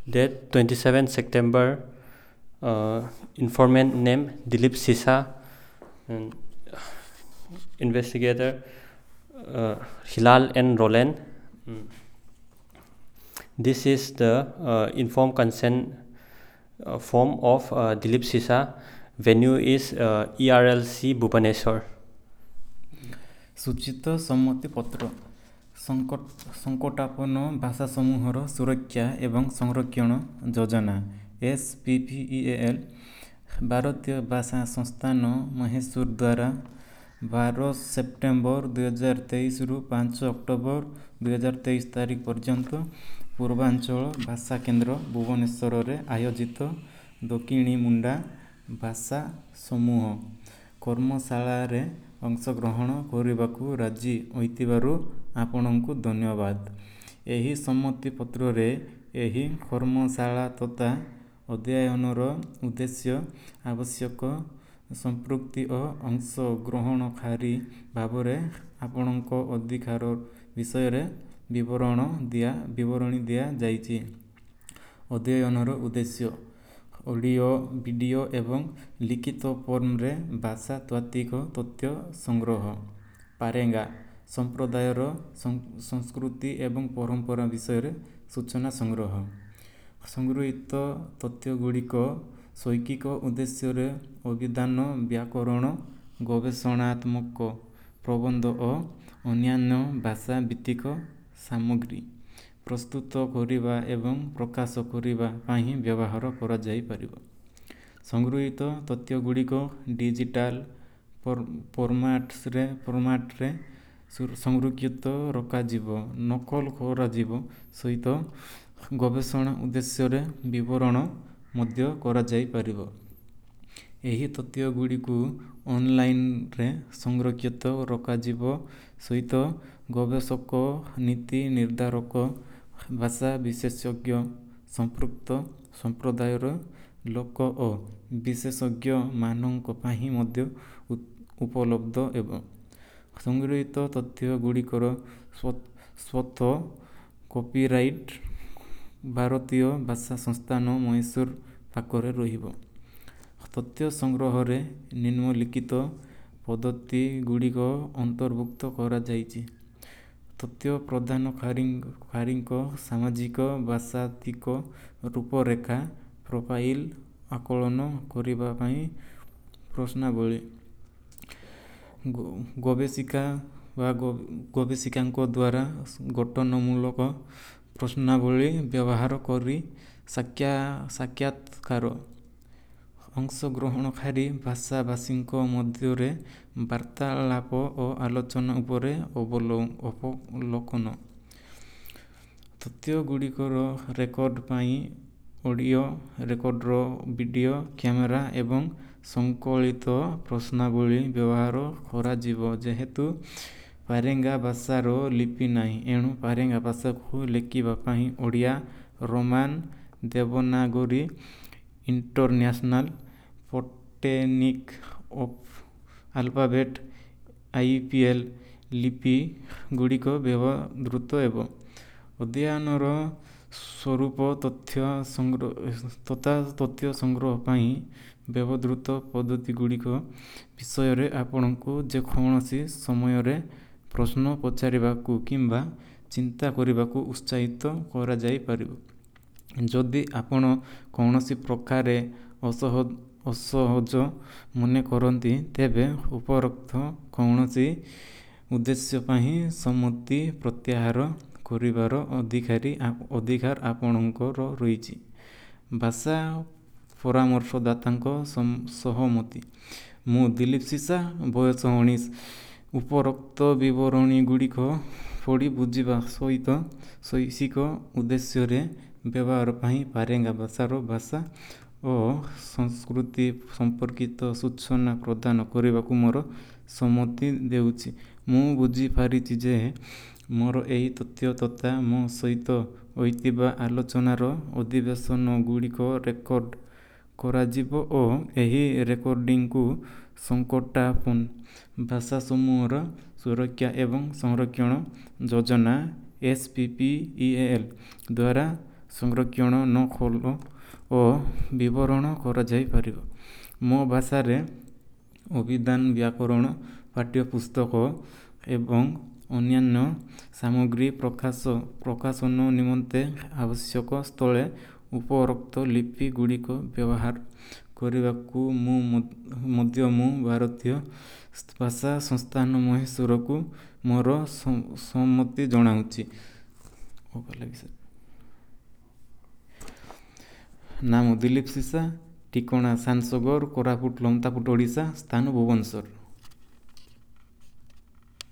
Date 27 September. Informant name Dilip Sisa. And investigator Hilal and Roland. This is the informed consent form of Dilip Sisa. Venue is ERLC Bhubaneswar. ସୂଚିତ ସମ୍ମତି ପତ୍ର। ସଙ୍କଟାପନ୍ନ ଭାଷା ସମୂହର ସୁରକ୍ଷା ଏବଂ ସଂରକ୍ଷଣ ଯୋଜନା, S P P E A L, ଭାରତୀୟ ଭାଷା ସଂସ୍ଥାନ, ମହୀଶୂର ଦ୍ୱାରା 12 ସେପ୍ଟେମ୍ବର 2023ରୁ 5 ଅକ୍ଟୋବର 2023 ତାରିଖ ପର୍ଯ୍ୟନ୍ତ ପୂର୍ବାଞ୍ଚଳ ଭାଷା କେନ୍ଦ୍ର, ଭୁବନେଶ୍ୱରରେ ଆୟୋଜିତ ଦକ୍ଷିଣୀ ମୁଣ୍ଡା ଭାଷା ସମୂହ କର୍ମଶାଳାରେ ଅଂଶଗ୍ରହଣ କରିବାକୁ ରାଜି ହୋଇଥିବାରୁ ଆପଣଙ୍କୁ ଧନ୍ୟବାଦ। ଏହି ସମ୍ମତି ପତ୍ରରେ ଏହି କର୍ମଶାଳା ତଥା ଅଧ୍ୟୟନର ଉଦ୍ଦେଶ୍ୟ, ଆବଶ୍ୟକ ସମ୍ପୃକ୍ତି ଓ ଅଂଶଗ୍ରହଣକାରୀ ଭାବରେ ଆପଣଙ୍କ ଅଧିକାର ବିଷୟରେ ବିବରଣୀ ଦିଆଯାଇଛି। ଅଧ୍ୟୟନର ଉଦ୍ଦେଶ୍ୟ: ଅଡ଼ିଓ, ଭିଡ଼ିଓ ଏବଂ ଲିଖିତ ଫର୍ମରେ ଭାଷାତାତ୍ତ୍ୱିକ ତଥ୍ୟ ସଂଗ୍ରହ। ପାରେଙ୍ଗା ସମ୍ପ୍ରଦାୟର ସଂସ୍କୃତି ଏବଂ ପରମ୍ପରା ବିଷୟରେ ସୂଚନା ସଂଗ୍ରହ। ସଂଗୃହୀତ ତଥ୍ୟଗୁଡ଼ିକ ଶୈକ୍ଷିକ ଉଦ୍ଦେଶ୍ୟରେ ଅଭିଧାନ, ବ୍ୟାକରଣ, ଗବେଷଣାତ୍ମକ ପ୍ରବନ୍ଧ ଓ ଅନ୍ୟାନ୍ୟ ଭାଷା ଭିତ୍ତିକ ସାମଗ୍ରୀ ପ୍ରସ୍ତୁତ କରିବା ଏବଂ ପ୍ରକାଶ କରିବା ପାଇଁ ବ୍ୟବହାର କରାଯାଇପାରିବ। ସଂଗୃହୀତ ତଥ୍ୟଗୁଡ଼ିକ ଡିଜିଟାଲ୍ ଫର୍ମାଟ୍ରେ ସଂରକ୍ଷିତ ରଖାଯିବ, ନକଲ କରାଯିବ ସହିତ ଗବେଷଣା ଉଦ୍ଦେଶ୍ୟରେ ବିବରଣ ମଧ୍ୟ କରାଯାଇପାରିବ। ଏହି ତଥ୍ୟଗୁଡ଼ିକୁ ଅନଲାଇନରେ ସଂରକ୍ଷିତ ରଖାଯିବ ସହିତ ଗବେଷକ, ନୀତି ନିର୍ଦ୍ଧାରକ, ଭାଷା ବିଶେଷଜ୍ଞ, ସମ୍ପୃକ୍ତ ସମ୍ପ୍ରଦାୟର ଲୋକ ଓ ବିଶେଷଜ୍ଞମାନଙ୍କ ପାଇଁ ମଧ୍ୟ ଉପଲବ୍ଧ ହେବ। ସଂଗୃହୀତ ତଥ୍ୟଗୁଡ଼ିକର ସ୍ୱତଃ କପିରାଇଟ୍ ଭାରତୀୟ ଭାଷା ସଂସ୍ଥାନ, ମହୀଶୂର ପାଖରେ ରହିବ। ତଥ୍ୟ ସଂଗ୍ରହରେ ନିମ୍ନଲିଖିତ ପଦ୍ଧତିଗୁଡ଼ିକ ଅନ୍ତର୍ଭୁକ୍ତ କରାଯାଇଛି: ତଥ୍ୟ ପ୍ରଦାନକାରୀଙ୍କ ସାମାଜିକ ଭାଷାତାତ୍ତ୍ୱିକ ରୂପରେଖ, ପ୍ରୋଫାଇଲ୍ ଆକଳନ କରିବା ପାଇଁ ପ୍ରଶ୍ନାବଳୀ, ଗବେଷିକା ବା ଗବେଷିକାଙ୍କ ଦ୍ୱାରା ଗଠନମୂଳକ ପ୍ରଶ୍ନାବଳୀ ବ୍ୟବହାର କରି ସାକ୍ଷାତକାର, ଅଂଶଗ୍ରହଣକାରୀ ଭାଷାଭାଷୀଙ୍କ ମଧ୍ୟରେ ବାର୍ତ୍ତାଳାପ ଓ ଆଲୋଚନା ଉପରେ ଅବଲୋକନ। ତଥ୍ୟଗୁଡ଼ିକର ରେକର୍ଡ ପାଇଁ ଅଡ଼ିଓ ରେକର୍ଡର, ଭିଡ଼ିଓ କ୍ୟାମେରା ଏବଂ ସଂକଳିତ ପ୍ରଶ୍ନାବଳୀ ବ୍ୟବହାର କରାଯିବ। ଯେହେତୁ ପାରେଙ୍ଗା ଭାଷାର ଲିପି ନାହିଁ, ଏଣୁ ପାରେଙ୍ଗା ଭାଷାକୁ ଲେଖିବା ପାଇଁ Odia Roman Devanagari International Phonetic Alphabet, I P L ଲିପି ଗୁଡ଼ିକ ବ୍ୟବହୃତ ହେବ। ଅଧ୍ୟୟନର ସ୍ୱରୂପ ତଥା ତଥ୍ୟ ସଂଗ୍ରହ ପାଇଁ ବ୍ୟବହୃତ ପଦ୍ଧତିଗୁଡ଼ିକ ବିଷୟରେ ଆପଣଙ୍କୁ ଯେକୌଣସି ସମୟରେ ପ୍ରଶ୍ନ ପଚାରିବାକୁ କିମ୍ବା ଚିନ୍ତା କରିବାକୁ ଉତ୍ସାହିତ କରାଯାଇପାରିବ। ଯଦି ଆପଣ କୌଣସି ପ୍ରକାରେ ଅସହଜ ମନେ କରନ୍ତି, ତେବେ ଉପରୋକ୍ତ କୌଣସି ଉଦ୍ଦେଶ୍ୟ ପାଇଁ ସମ୍ମତି ପ୍ରତ୍ୟାହାର କରିବାର ଅଧିକାର ଆପଣଙ୍କର ରହିଛି। ଭାଷା ପରାମର୍ଶଦାତାଙ୍କ ସହମତି। ମୁଁ ଦିଲୀପ ସିସା, ବୟସ 19, ଉପରୋକ୍ତ ବିବରଣୀଗୁଡ଼ିକ ପଢ଼ି ବୁଝିବା ସହିତ ଶୈକ୍ଷିକ ଉଦ୍ଦେଶ୍ୟରେ ବ୍ୟବହାର ପାଇଁ ପାରେଙ୍ଗା ଭାଷାର ଭାଷା ଓ ସଂସ୍କୃତି ସମ୍ପର୍କିତ ସୂଚନା ପ୍ରଦାନ କରିବାକୁ ମୋର ସମ୍ମତି ଦେଉଛି। ମୁଁ ବୁଝିପାରିଛି ଯେ ମୋର ଏହି ତଥ୍ୟ ତଥା ମୋ ସହିତ ହୋଇଥିବା ଆଲୋଚନାର ଅଧିବେଶନଗୁଡ଼ିକ ରେକର୍ଡ଼ କରାଯିବ ଓ ଏହି ରେକର୍ଡ଼ିଂକୁ ସଙ୍କଟାପନ୍ନ ଭାଷା ସମୂହର ସୁରକ୍ଷା ଏବଂ ସଂରକ୍ଷଣ ଯୋଜନା, S P P E A L ଦ୍ୱାରା ସଂରକ୍ଷଣ ନକଲ ଓ ବିବରଣ କରାଯାଇପାରିବ। ମୋ ଭାଷାରେ ଅଭିଧାନ, ବ୍ୟାକରଣ, ପାଠ୍ୟପୁସ୍ତକ ଏବଂ ଅନ୍ୟାନ୍ୟ ସାମଗ୍ରୀ ପ୍ରକାଶ ପ୍ରକାଶନ ନିମନ୍ତେ ଆବଶ୍ୟକ ସ୍ଥଳେ ଉପରୋକ୍ତ ଲିପି ଗୁଡ଼ିକ ବ୍ୟବହାର କରିବାକୁ ମୁଁ ମଧ୍ୟ ମୁଁ ଭାରତୀୟ ଭାଷା ସଂସ୍ଥାନ ମହୀଶୂରକୁ ମୋର ସମ୍ମତି ଜଣାଉଛି। ନାମ ଦିଲୀପ ଶିଶା, ଠିକଣା ସାନସଗର, କୋରାପୁଟ, ଲମତାପୁଟ, ଓଡ଼ିଶା, ସ୍ଥାନ ଭୁବନେଶ୍ୱର।